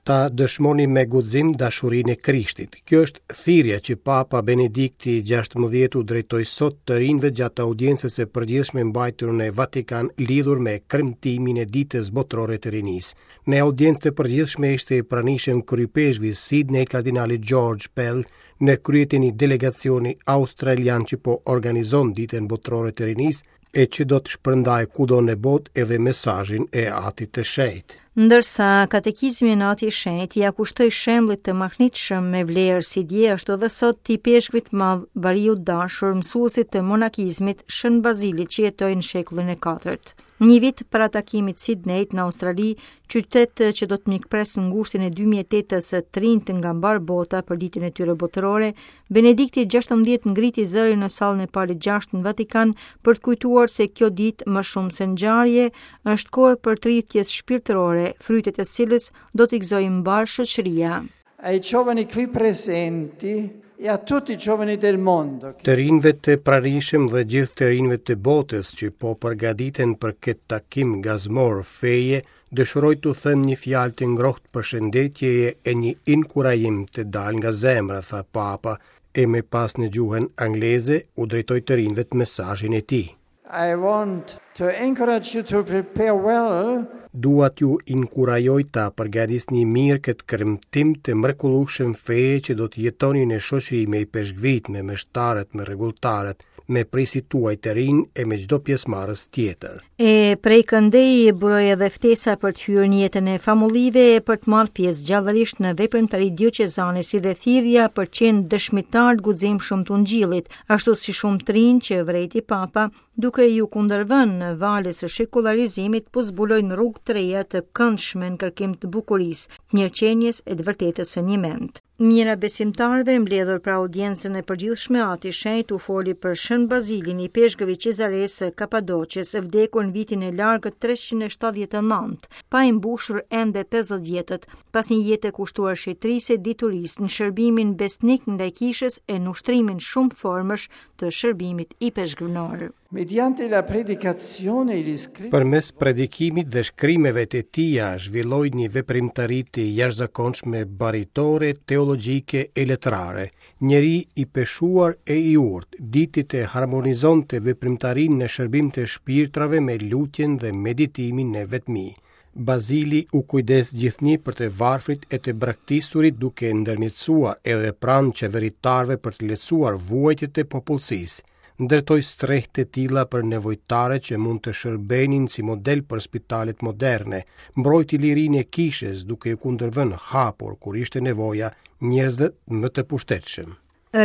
Ta dëshmoni me guxim dashurinë e Krishtit. Kjo është thirrja që Papa Benedikti XVI u drejtoi sot të rinjve gjatë audiencës së përgjithshme mbajtur në Vatikan lidhur me kremtimin e Ditës Botërore të Rinisë. Në audiencë të përgjithshme ishte i pranishëm kryeipeshkvi i Sidney kardinali George Pell në krye të një delegacioni australian që po organizon Ditën Botërore të Rinisë e që do të shpërndajë kudo në botë edhe mesazhin e Atit të Shenjtë. Ndërsa katekizmin Ati i Shenjtë ia kushtoi shembullit të mahnitshëm me vlerë si dje ashtu edhe sot të ipeshkvit të madh, bariut të dashur, mësuesit të monakizmit Shën Bazilit që jetoi në shekullin e katërt. Një vit para takimit Sidneyt në Australi, qytet që do të mikpresë në gushtin e 2008-s të rinjtë nga mbarë bota për ditën e tyre botërore, Benedikti 16 ngriti zërin në sallën e Palit 6 në Vatikan për të kujtuar se kjo ditë më shumë se ngjarje është kohë e përtëritjes shpirtërore, frytet e së cilës do t'i gëzojë mbarë shoqëria. Ai giovani qui presenti e a tutti i giovani del mondo. Të rinjve të pranishëm dhe gjithë të rinjve të botës që po përgatiten për këtë takim gazmor feje, dëshiroj t'u them një fjalë të ngrohtë përshëndetjeje e një inkurajim të dalë nga zemra, tha Papa, e më pas në gjuhën angleze u drejtoi të rinjve mesazhin e tij. I want to encourage you to prepare well. Dua t'ju inkurajoj ta përgatisni mirë këtë kremtim të mrekullueshëm feje që do të jetoni në shoqëri me ipeshkvijtë, me meshtarët, me rregulltarët, me prijësit tuaj të rinj e me çdo pjesëmarrës tjetër. E prej këndej buroi edhe ftesa për të hyrë në jetën e famullive e për të marrë pjesë gjallërisht në veprimtari dioqezane si dhe thirrja për të qenë dëshmitarë të guximshëm të Ungjillit, ashtu si shumë të rinj që vërejti Papa, duke iu kundërvënë valës së shekullarizimit, po zbulojnë rrugë të reja të këndshme në kërkim të bukurisë, të mirëqenies e të vërtetës së njëmendtë. Mijëra besimtarëve mbledhur për audiencën e përgjithshme, Ati i Shenjtë u foli për Shën Bazilin, ipeshkëv i Cezaresë së Kapadoqes, vdekur në vitin e largët 379, pa i mbushur ende 50 vjetët, pas një jete kushtuar shenjtërisë e diturisë në shërbimin besnik ndaj kishës e në ushtrimin shumëformësh të shërbimit ipeshkvnor. Mediante la predicazione e gli scritti Përmes predikimit dhe shkrimeve të tija zhvilloi një veprimtari të jashtëzakonshme baritore, teologjike e letrare. Njeri i peshuar e i urtë, diti të harmonizonte veprimtarinë në shërbim të shpirtrave me lutjen dhe meditimin në vetmi. Bazili u kujdes gjithnjë për të varfrit e të braktisurit duke ndërmjetësuar edhe pranë qeveritarëve për të lehtësuar vuajtjet e popullsisë. Ndërtoi strehë të tilla për nevojtarët që mund të shërbenin si model për spitalet moderne, mbrojti lirinë e kishës duke iu kundërvënë hapur kur ishte nevoja njerëzve më të pushtetshëm.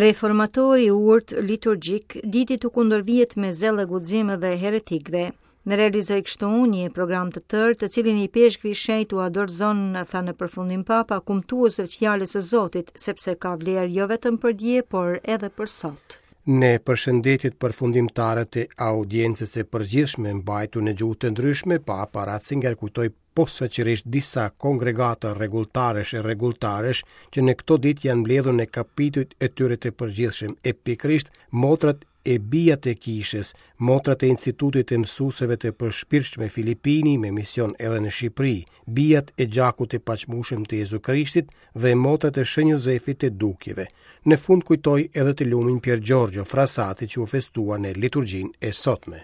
Reformatori i urtë liturgjik diti t'u kundërvihet me zell e guxim edhe heretikëve. Realizoi kështu një program të tërë, të cilin ipeshkvi i shenjtë ua dorëzon, tha në përfundim Papa, kumtuesve të fjalës së Zotit, sepse ka vlerë jo vetëm për dje, por edhe për sot. Në përshëndetjet përfundimtare të audiencës së përgjithshme mbajtur në gjuhë të ndryshme, Papa Ratzinger kujtoi posaçërisht disa kongregata rregulltarësh e rregulltaresh që në këto ditë janë mbledhur në kapitujt e tyre të përgjithshëm e pikërisht motrat e bijat e kishës, motrat e Institutit të Mësueseve të Përshpirtshme Filipini me mision edhe në Shqipëri, bijat e gjakut të paçmueshëm të Jezu Krishtit dhe motrat e Shën Jozefit të Dukjeve. Në fund kujtoi edhe të lumin Pier Giorgio Frassati që u festua në liturgjinë e sotme.